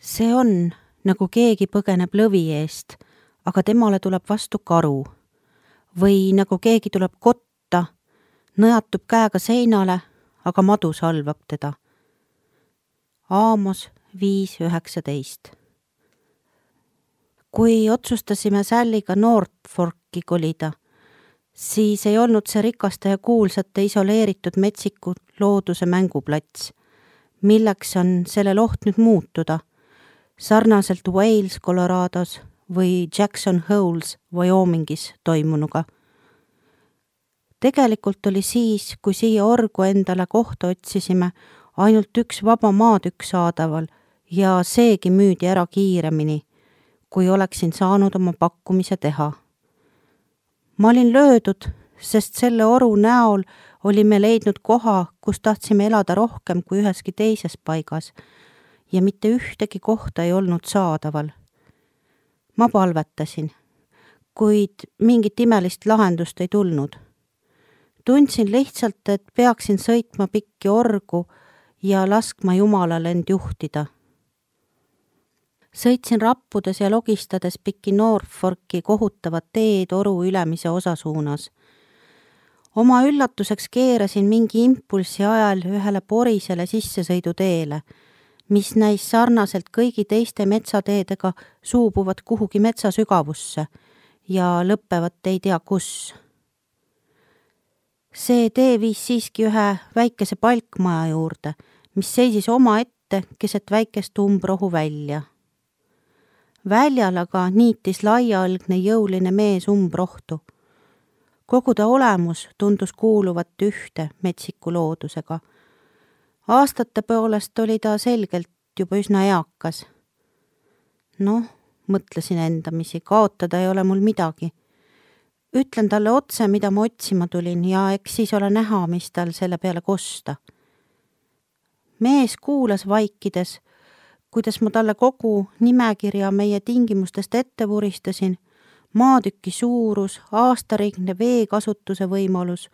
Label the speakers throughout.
Speaker 1: See on, nagu keegi põgeneb lõvi eest, aga temale tuleb vastu karu. Või nagu keegi tuleb kotta, nõjatub käega seinale, aga madu salvab teda. Aamos 5.19. Kui otsustasime Salliga Norfolki kolida, siis ei olnud see rikaste ja kuulsate isoleeritud metsiku looduse mänguplats, milleks on sellel oht nüüd muutuda, sarnaselt Wales, Colorados või Jackson Holes, Wyomingis toimunuga. Tegelikult oli siis, kui siia orgu endale kohta otsisime, ainult üks vaba maatükk saadaval ja seegi müüdi ära kiiremini, kui oleksin saanud oma pakkumise teha. Ma olin löödud, sest selle oru näol olime leidnud koha, kus tahtsime elada rohkem kui üheski teises paigas ja mitte ühtegi kohta ei olnud saadaval. Ma palvetasin, kuid mingit imelist lahendust ei tulnud. Tundsin lihtsalt, et peaksin sõitma pikki orgu ja laskma Jumalal end juhtida. Sõitsin rappudes ja logistades pikki Norfolki kohutavat teed oru ülemise osa suunas. Oma üllatuseks keerasin mingi impulsi ajal ühele porisele sissesõiduteele, mis näis sarnaselt kõigi teiste metsateedega suubuvad kuhugi metsasügavusse ja lõppevat ei tea kus. See tee viis siiski ühe väikese palkmaja juurde, mis seisis oma ette keset väikest umbrohu välja. Väljal aga niitis laiaalgne jõuline mees umbrohtu. Kogu ta olemus tundus kuuluvat ühte metsiku loodusega. Aastate poolest oli ta selgelt juba üsna eakas. Mõtlesin endamisi, kaotada ei ole mul midagi. Ütlen talle otse, mida ma otsima tulin ja eks siis ole näha, mis tal selle peale kosta. Mees kuulas vaikides, kuidas ma talle kogu nimekirja meie tingimustest ette vuristasin, maatüki suurus, aastarigne veekasutuse võimalus,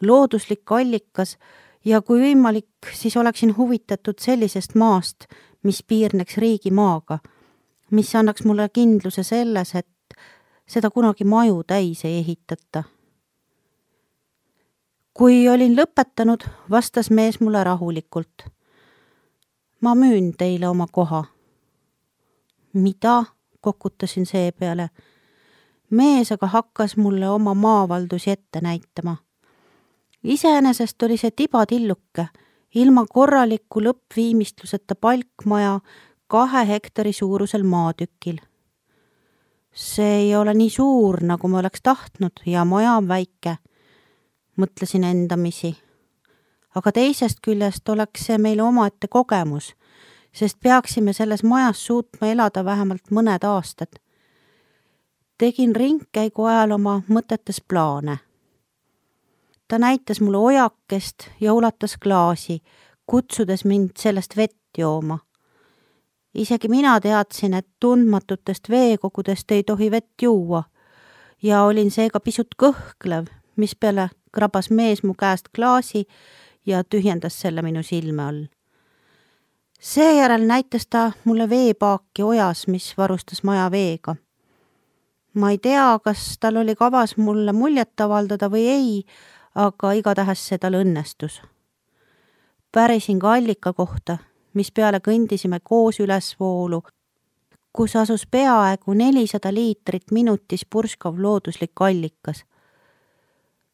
Speaker 1: looduslik allikas ja kui võimalik, siis oleksin huvitatud sellisest maast, mis piirneks riigimaaga, mis annaks mulle kindluse selles, et seda kunagi maju täis ei ehitata. Kui olin lõpetanud, vastas mees mulle rahulikult. Ma müün teile oma koha. Mida? Kokutasin seepeale. Mees aga hakkas mulle oma maavaldusi ette näitama. Iseenesest oli see tibatilluke, ilma korraliku lõppviimistluseta palkmaja 2 hektari suurusel maatükil. See ei ole nii suur, nagu ma oleks tahtnud ja maja on väike, mõtlesin endamisi. Aga teisest küljest oleks see meile omaette kogemus, sest peaksime selles majas suutma elada vähemalt mõned aastad. Tegin ringkäigu ajal oma mõtetes plaane. Ta näitas mulle ojakest ja ulatas klaasi, kutsudes mind sellest vett jooma. Isegi mina teadsin, et tundmatutest veekogudest ei tohi vett juua ja olin seega pisut kõhklev, mispeale krabas mees mu käest klaasi ja tühjendas selle minu silme all. Seejärel näitas ta mulle veepaaki ojas, mis varustas maja veega. Ma ei tea, kas tal oli kavas mulle muljet avaldada või ei, aga igatahes see tal õnnestus. Pärisin ka allika kohta, mis peale kõndisime koos ülesvoolu, kus asus peaaegu 400 liitrit minutis purskav looduslik allikas.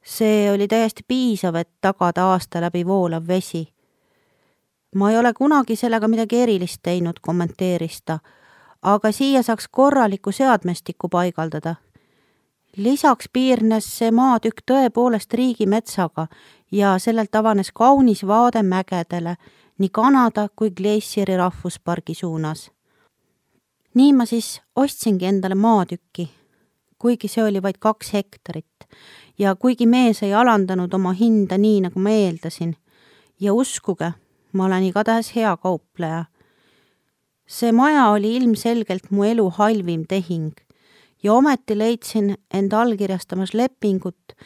Speaker 1: See oli täiesti piisav, et tagada aasta läbi voolav vesi. Ma ei ole kunagi sellega midagi erilist teinud, kommenteeris ta, aga siia saaks korraliku seadmestiku paigaldada. Lisaks piirnes see maatükk tõepoolest riigimetsaga ja sellelt avanes kaunis vaade mägedele nii Kanada kui Glacieri rahvuspargi suunas. Nii ma siis ostsingi endale maatükki, kuigi see oli vaid 2 hektarit ja kuigi mees ei alandanud oma hinda nii, nagu ma eeldasin. Ja uskuge, ma olen igatahes hea kaupleja. See maja oli ilmselgelt mu elu halvim tehing ja ometi leidsin end allkirjastamas lepingut,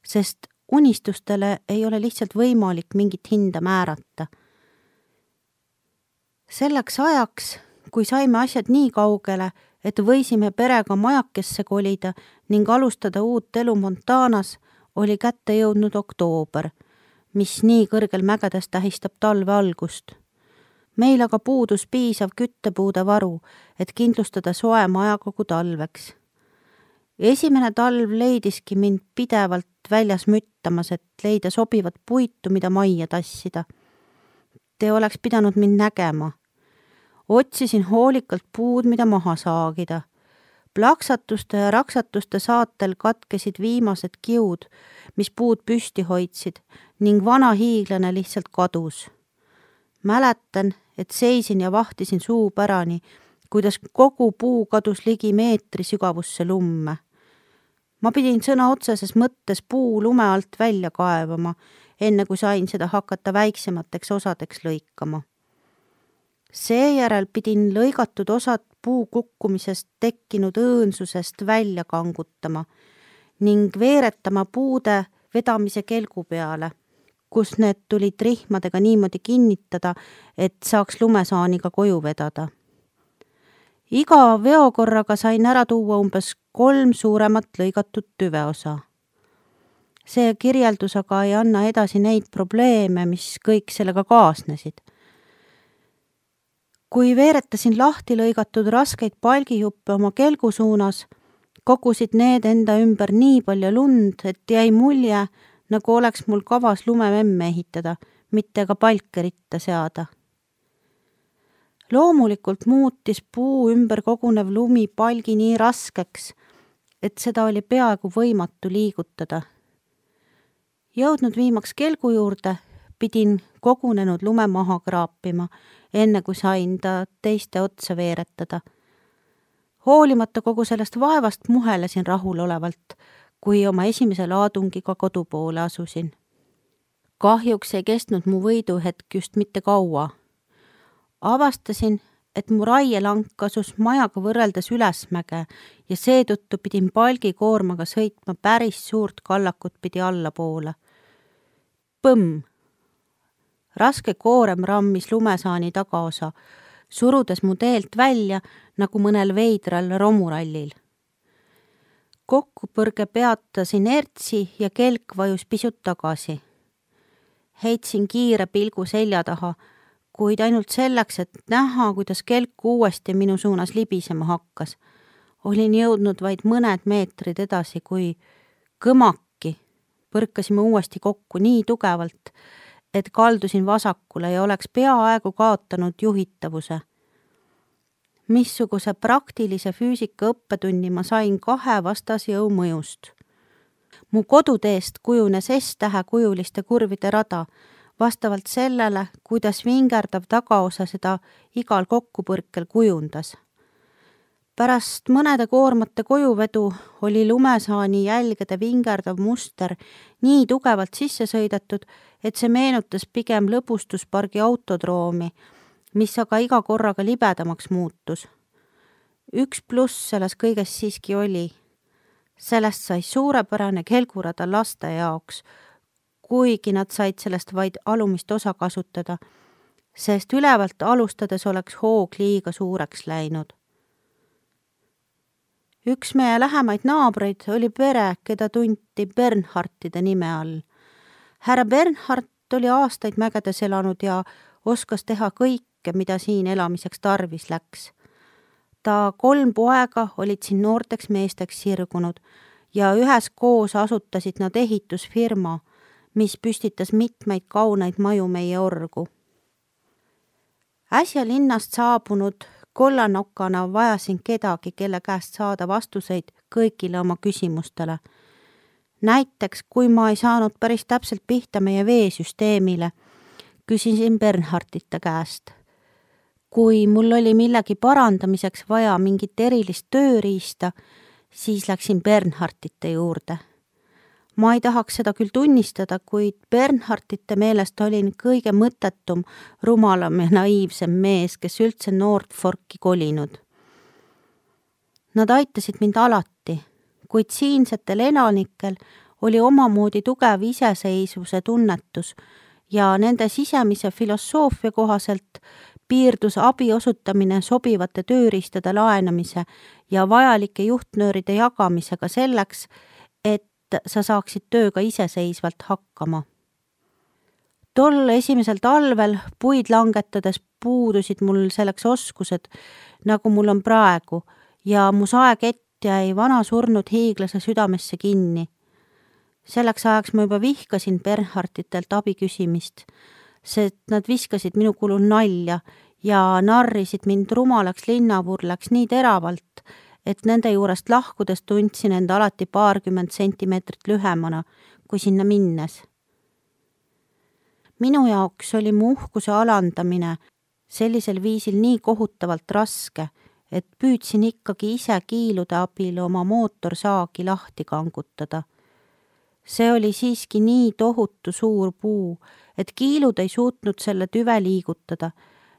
Speaker 1: sest unistustele ei ole lihtsalt võimalik mingit hinda määrata. Selleks ajaks, kui saime asjad nii kaugele, et võisime perega majakesse kolida ning alustada uut elu Montanas, oli kätte jõudnud oktoober, mis nii kõrgel mägedes tähistab talve algust. Meil aga puudus piisav küttepuude varu, et kindlustada soe maja kogu talveks. Esimene talv leidiski mind pidevalt väljas müttamas, et leida sobivat puitu, mida majja tassida. Te oleks pidanud mind nägema. Otsisin hoolikalt puud, mida maha saagida. Plaksatuste ja raksatuste saatel katkesid viimased kiud, mis puud püsti hoidsid, ning vana hiiglane lihtsalt kadus. Mäletan, et seisin ja vahtisin suupärani, kuidas kogu puu kadus ligi meetri sügavusse lumme. Ma pidin sõna otseses mõttes puu lume alt välja kaevama, enne kui sain seda hakata väiksemateks osadeks lõikama. Seejärel pidin lõigatud osad puu kukkumisest tekkinud õõnsusest välja kangutama ning veeretama puude vedamise kelgu peale, kus need tulid rihmadega niimoodi kinnitada, et saaks lumesaaniga koju vedada. Iga veokorraga sain ära tuua umbes 3 suuremat lõigatud tüveosa. See kirjeldus aga ei anna edasi neid probleeme, mis kõik sellega kaasnesid. Kui veeretasin lahti lõigatud raskeid palgijuppe oma kelgu suunas, kogusid need enda ümber nii palju lund, et jäi mulje, nagu oleks mul kavas lumememme ehitada, mitte ka palke ritta seada. Loomulikult muutis puu ümber kogunev lumi palgi nii raskeks, et seda oli peaaegu võimatu liigutada. Jõudnud viimaks kelgu juurde, pidin kogunenud lume maha kraapima, enne kui sain ta teiste otsa veeretada. Hoolimata kogu sellest vaevast muhelesin rahulolevalt, kui oma esimese laadungiga kodu poole asusin. Kahjuks ei kestnud mu võiduhetk just mitte kaua. Avastasin, et mu raielank asus majaga võrreldes ülesmäge ja seetõttu pidin palgikoormaga sõitma päris suurt kallakut pidi allapoole. Põmm! Raske koorem rammis lumesaani tagaosa, surudes mu teelt välja nagu mõnel veidral romurallil. Kokkupõrge peatas inertsi ja kelk vajus pisut tagasi. Heitsin kiire pilgu selja taha, kuid ainult selleks, et näha, kuidas kelk uuesti minu suunas libisema hakkas. Olin jõudnud vaid mõned meetrid edasi, kui kõmaki põrkasime uuesti kokku nii tugevalt, et kaldusin vasakule ja oleks peaaegu kaotanud juhitavuse. Missuguse praktilise füüsika õppetunni ma sain 2 vastasjõu mõjust. Mu koduteest kujunes S-tähe kujuliste kurvide rada, vastavalt sellele, kuidas vingerdav tagaosa seda igal kokkupõrkel kujundas. Pärast mõnede koormate kojuvedu oli lumesaani jälgede vingerdav muster nii tugevalt sisse sõidetud, et see meenutas pigem lõbustuspargi autodroomi, mis aga iga korraga libedamaks muutus. 1 pluss selles kõiges siiski oli. Sellest sai suurepärane kelgurada laste jaoks, kuigi nad said sellest vaid alumist osa kasutada, sest ülevalt alustades oleks hoog liiga suureks läinud. Üks meie lähemaid naabreid oli pere, keda tunti Bernhardtide nime all. Härra Bernhardt oli aastaid mägedes elanud ja oskas teha kõike, mida siin elamiseks tarvis läks. Ta 3 poega olid siin noorteks meesteks sirgunud ja üheskoos asutasid nad ehitusfirma, mis püstitas mitmeid kauneid maju meie orgu. Äsja linnast saabunud kollanokana vajasin kedagi, kelle käest saada vastuseid kõigile oma küsimustele. Näiteks, kui ma ei saanud päris täpselt pihta meie veesüsteemile, küsisin Bernhardtite käest. Kui mul oli millegi parandamiseks vaja mingit erilist tööriista, siis läksin Bernhardtite juurde. Ma ei tahaks seda küll tunnistada, kuid Bernhardtite meelest olin kõige mõttetum, rumalam ja naiivsem mees, kes üldse Nordforki kolinud. Nad aitasid mind alati, kuid siinsetel elanikel oli omamoodi tugev iseseisvuse tunnetus ja nende sisemise filosoofia kohaselt piirdus abi osutamine sobivate tööriistade laenamise ja vajalike juhtnööride jagamisega selleks, et sa saaksid tööga iseseisvalt hakkama. Tol esimesel talvel puid langetades puudusid mul selleks oskused, nagu mul on praegu, ja mu saekett jäi vana surnud hiiglase südamesse kinni. Selleks ajaks ma juba vihkasin Bernhardtitelt abi küsimist, sest nad viskasid minu kulul nalja ja narrisid mind rumalaks linnavurlaks nii teravalt, et nende juurest lahkudes tundsin end alati 20 sentimeetrit lühemana kui sinna minnes. Minu jaoks oli mu uhkuse alandamine sellisel viisil nii kohutavalt raske, et püüdsin ikkagi ise kiilude abil oma mootorsaagi lahti kangutada. See oli siiski nii tohutu suur puu, et kiilud ei suutnud selle tüve liigutada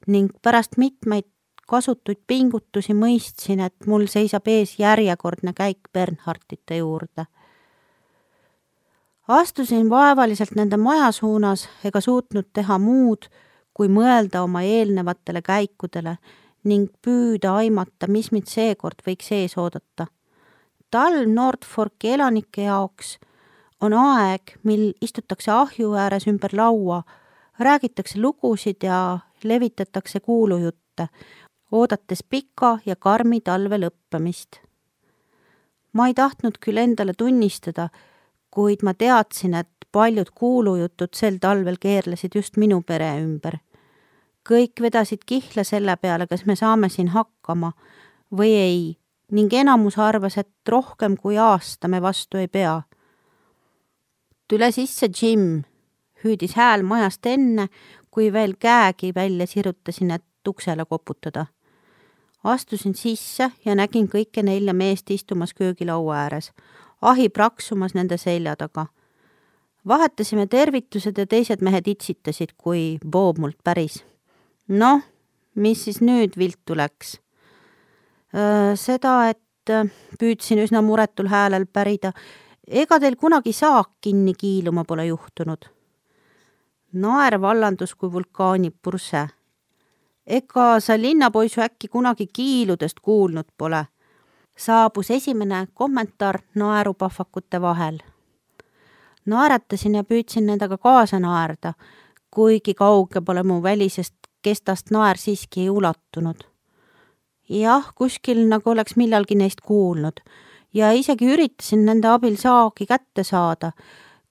Speaker 1: ning pärast mitmeid kasutuid pingutusi mõistsin, et mul seisab ees järjekordne käik Bernhardtite juurde. Astusin vaevaliselt nende maja suunas ega suutnud teha muud, kui mõelda oma eelnevatele käikudele ning püüda aimata, mis mind seekord võiks ees oodata. Talv Nordforki elanike jaoks on aeg, mil istutakse ahju ääres ümber laua, räägitakse lugusid ja levitatakse kuulujutte, oodates pika ja karmi talve lõppemist. Ma ei tahtnud küll endale tunnistada, kuid ma teadsin, et paljud kuulujutud sel talvel keerlesid just minu pere ümber. Kõik vedasid kihla selle peale, kas me saame siin hakkama või ei, ning enamus arvas, et rohkem kui aasta me vastu ei pea. Tule sisse, Jim, hüüdis hääl majast enne, kui veel käegi välja sirutasin, et uksele koputada. Astusin sisse ja nägin kõike 4 meest istumas köögilaua ääres, ahi praksumas nende selja taga. Vahetasime tervitused ja teised mehed itsitasid, kui Bob mult päris. Noh, mis siis nüüd viltu läks? Seda, et püüdsin üsna muretul häälel pärida, ega teil kunagi saak kinni kiiluma pole juhtunud. Naer vallandus kui vulkaani purse. Ega sa linnapoisu äkki kunagi kiiludest kuulnud pole? Saabus esimene kommentaar naerupahvakute vahel. Naeratasin ja püüdsin nendega kaasa naerda, kuigi kauge pole mu välisest kestast naer siiski ei ulatunud. Jah, kuskil nagu oleks millalgi neist kuulnud ja isegi üritasin nende abil saagi kätte saada,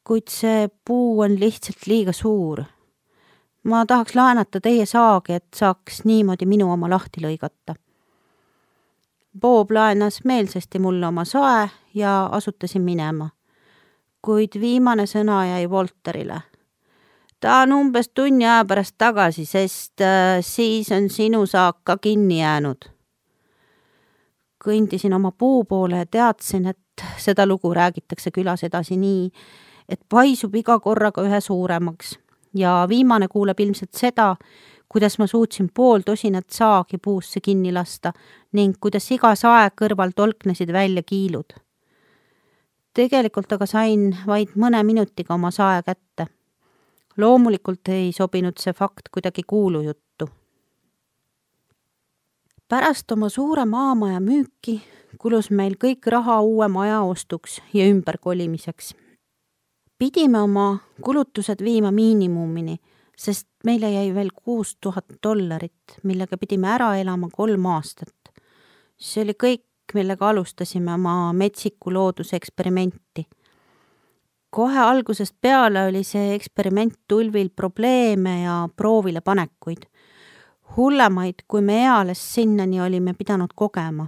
Speaker 1: kuid see puu on lihtsalt liiga suur. Ma tahaks laenata teie saagi, et saaks niimoodi minu oma lahti lõigata. Bob laenas meelsasti mulle oma sae ja asutasin minema. Kuid viimane sõna jäi Volterile. Ta on umbes tunni aja pärast tagasi, sest siis on sinu saak ka kinni jäänud. Kõndisin oma puu poole ja teadsin, et seda lugu räägitakse külas edasi nii, et paisub iga korraga ühe suuremaks ja viimane kuuleb ilmselt seda, kuidas ma suutsin 50 saagi puusse kinni lasta ning kuidas iga sae kõrval tolknesid välja kiilud. Tegelikult aga sain vaid mõne minutiga oma sae kätte. Loomulikult ei sobinud see fakt kuidagi kuulujuttu. Pärast oma suure maamaja müüki kulus meil kõik raha uue maja ostuks ja ümberkolimiseks. Pidime oma kulutused viima miinimumini, sest meile jäi veel $6000, millega pidime ära elama 3 aastat. See oli kõik, millega alustasime oma metsiku looduseksperimenti. Kohe algusest peale oli see eksperiment tulvil probleeme ja proovile panekuid. Hullemaid, kui me eales sinnani olime pidanud kogema.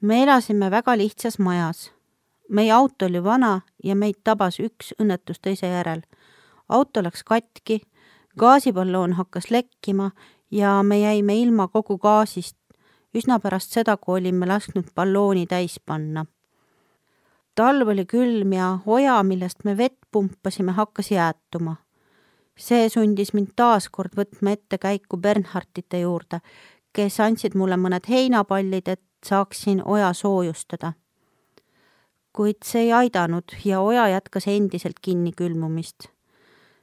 Speaker 1: Me elasime väga lihtsas majas. Meie auto oli vana ja meid tabas üks õnnetus teise järel. Auto läks katki, gaasiballoon hakkas lekkima ja me jäime ilma kogu gaasist üsna pärast seda, kui olime lasknud ballooni täis panna. Talv oli külm ja oja, millest me vett pumpasime, hakkas jäätuma. See sundis mind taaskord võtma ette käiku Bernhardtite juurde, kes andsid mulle mõned heinapallid, et saaksin oja soojustada. Kuid see ei aidanud ja oja jätkas endiselt kinni külmumist.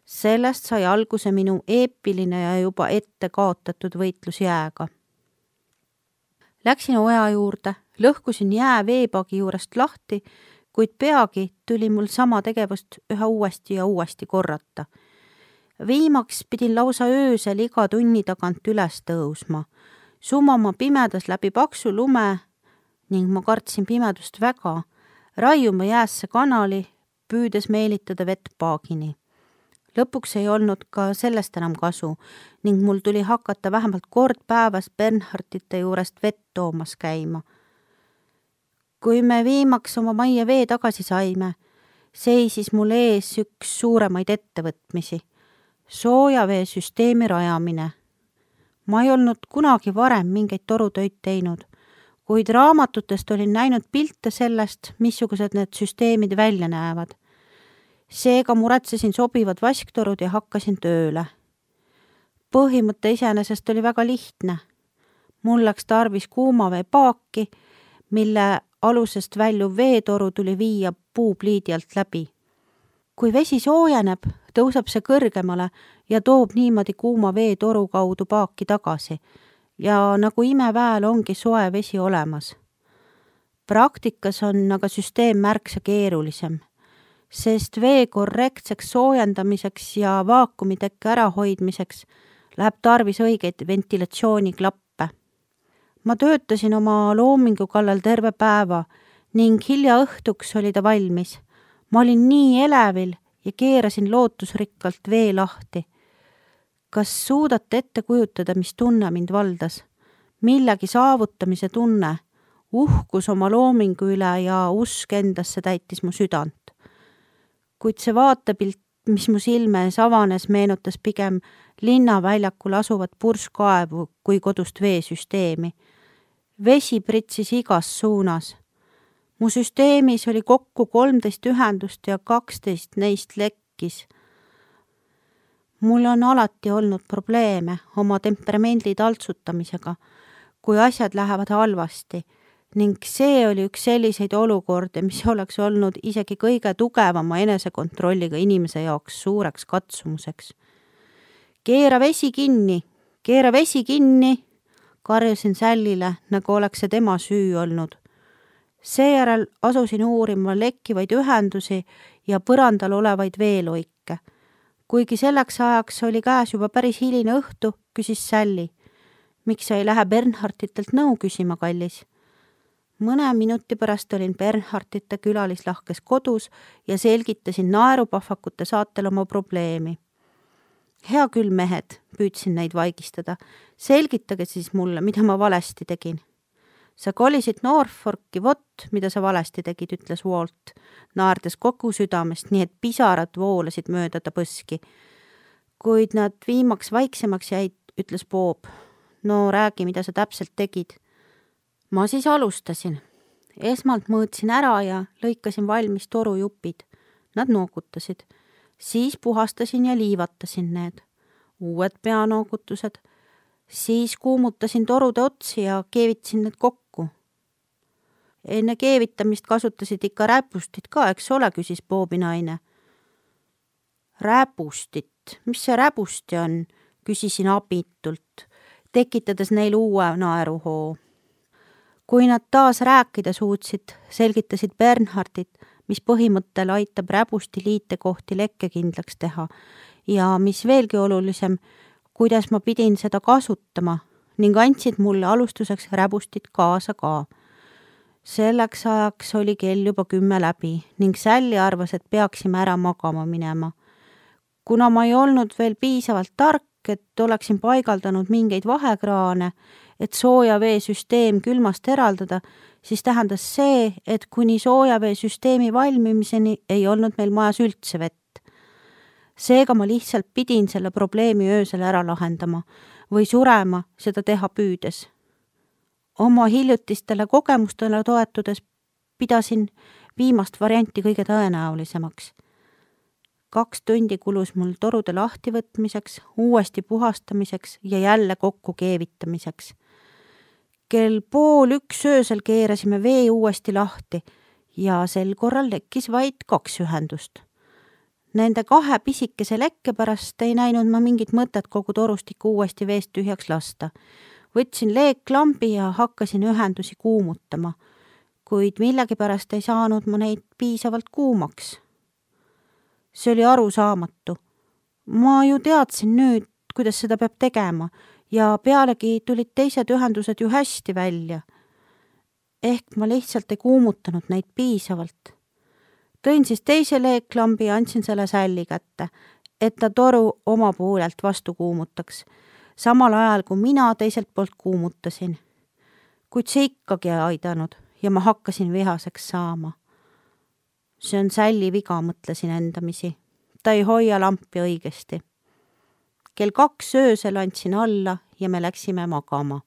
Speaker 1: Sellest sai alguse minu eepiline ja juba ette kaotatud võitlus jääga. Läksin oja juurde, lõhkusin jää veepagi juurest lahti, kuid peagi tuli mul sama tegevust üha uuesti ja uuesti korrata. Viimaks pidin lausa öösel iga tunni tagant üles tõusma, sumama pimedas läbi paksu lume ning ma kartsin pimedust väga, raiuma jäässe kanali, püüdes meelitada vett paagini. Lõpuks ei olnud ka sellest enam kasu ning mul tuli hakata vähemalt kord päevas Bernhardite juurest vett toomas käima. Kui me viimaks oma majja vee tagasi saime, seisis mul ees üks suuremaid ettevõtmisi, soojaveesüsteemi rajamine. Ma ei olnud kunagi varem mingeid torutöid teinud, kuid raamatutest olin näinud pilte sellest, missugused need süsteemid välja näevad. Seega muretsesin sobivad vasktorud ja hakkasin tööle. Põhimõte iseenesest oli väga lihtne. Mul läks tarvis kuumaveepaaki, mille alusest väljuv veetoru tuli viia puupliidi alt läbi. Kui vesi soojeneb, tõuseb see kõrgemale ja toob niimoodi kuuma veetoru kaudu paaki tagasi ja nagu imeväel ongi soe vesi olemas. Praktikas on aga süsteem märksa keerulisem, sest vee korrektseks soojendamiseks ja vaakumitekke ärahoidmiseks läheb tarvis õigeid ventilatsiooniklappe. Ma töötasin oma loomingu kallal terve päeva ning hilja õhtuks oli ta valmis. Ma olin nii elevil ja keerasin lootusrikkalt vee lahti. Kas suudate ette kujutada, mis tunne mind valdas? Millegi saavutamise tunne, uhkus oma loomingu üle ja usk endasse täitis mu südant. Kuid see vaatepilt, mis mu silme ees avanes, meenutas pigem linnaväljakul asuvat purskkaevu kui kodust veesüsteemi. Vesi pritsis igas suunas. Mu süsteemis oli kokku 13 ühendust ja 12 neist lekkis. Mul on alati olnud probleeme oma temperamendi taltsutamisega, kui asjad lähevad halvasti, ning see oli üks selliseid olukordi, mis oleks olnud isegi kõige tugevama enesekontrolliga inimese jaoks suureks katsumuseks. Keera vesi kinni, karjusin Sällile, nagu oleks see tema süü olnud. Seejärel asusin uurima lekkivaid ühendusi ja põrandal olevaid veeloike. Kuigi selleks ajaks oli käes juba päris hiline õhtu, küsis Sälli. Miks sa ei lähe Bernharditelt nõu küsima, kallis? Mõne minuti pärast olin Bernhardite külalislahkes kodus ja selgitasin naerupahvakute saatel oma probleemi. Hea küll, mehed, püüdsin neid vaigistada. Selgitage siis mulle, mida ma valesti tegin. Sa kolisid Norfolki, vot, mida sa valesti tegid, ütles Walt, naerdes kogu südamest, nii et pisarad voolasid mööda ta põski. Kuid nad viimaks vaiksemaks jäid, ütles Bob. No räägi, mida sa täpselt tegid. Ma siis alustasin. Esmalt mõõtsin ära ja lõikasin valmis torujupid. Nad nookutasid. Siis puhastasin ja liivatasin need. Uued peanoogutused. Siis kuumutasin torude otsi ja keevitasin need kokku. Enne keevitamist kasutasid ikka räpustit ka, eks ole, küsis Bobi naine. Räpustit? Mis see räpusti on? Küsisin abitult, tekitades neil uue naeruhoo. Kui nad taas rääkida suutsid, selgitasid Bernhardit, mis põhimõttel aitab räpusti liitekohti lekkekindlaks teha ja mis veelgi olulisem, kuidas ma pidin seda kasutama ning andsid mulle alustuseks räbustit kaasa ka. Selleks ajaks oli kell juba 10 läbi ning Sälli arvas, et peaksime ära magama minema. Kuna ma ei olnud veel piisavalt tark, et oleksin paigaldanud mingeid vahekraane, et soojaveesüsteem külmast eraldada, siis tähendas see, et kuni soojaveesüsteemi valmimiseni ei olnud meil majas üldse vett. Seega ma lihtsalt pidin selle probleemi öösel ära lahendama või surema seda teha püüdes. Oma hiljutistele kogemustele toetudes pidasin viimast varianti kõige tõenäolisemaks. 2 tundi kulus mul torude lahtivõtmiseks, uuesti puhastamiseks ja jälle kokku keevitamiseks. Kell 12:30 öösel keerasime vee uuesti lahti ja sel korral lekkis vaid 2 ühendust. Nende 2 pisikese lekke pärast ei näinud ma mingit mõtet kogu torustikku uuesti veest tühjaks lasta. Võtsin leeklambi ja hakkasin ühendusi kuumutama, kuid millegipärast ei saanud ma neid piisavalt kuumaks. See oli arusaamatu. Ma ju teadsin nüüd, kuidas seda peab tegema ja pealegi tulid teised ühendused ju hästi välja. Ehk ma lihtsalt ei kuumutanud neid piisavalt. Tõin siis teise leeklambi ja andsin selle Sälli kätte, et ta toru oma poolelt vastu kuumutaks, samal ajal kui mina teiselt poolt kuumutasin. Kuid see ikkagi ei aidanud ja ma hakkasin vihaseks saama. See on Sälli viga, mõtlesin endamisi. Ta ei hoia lampi õigesti. Kell 2 öösel andsin alla ja me läksime magama.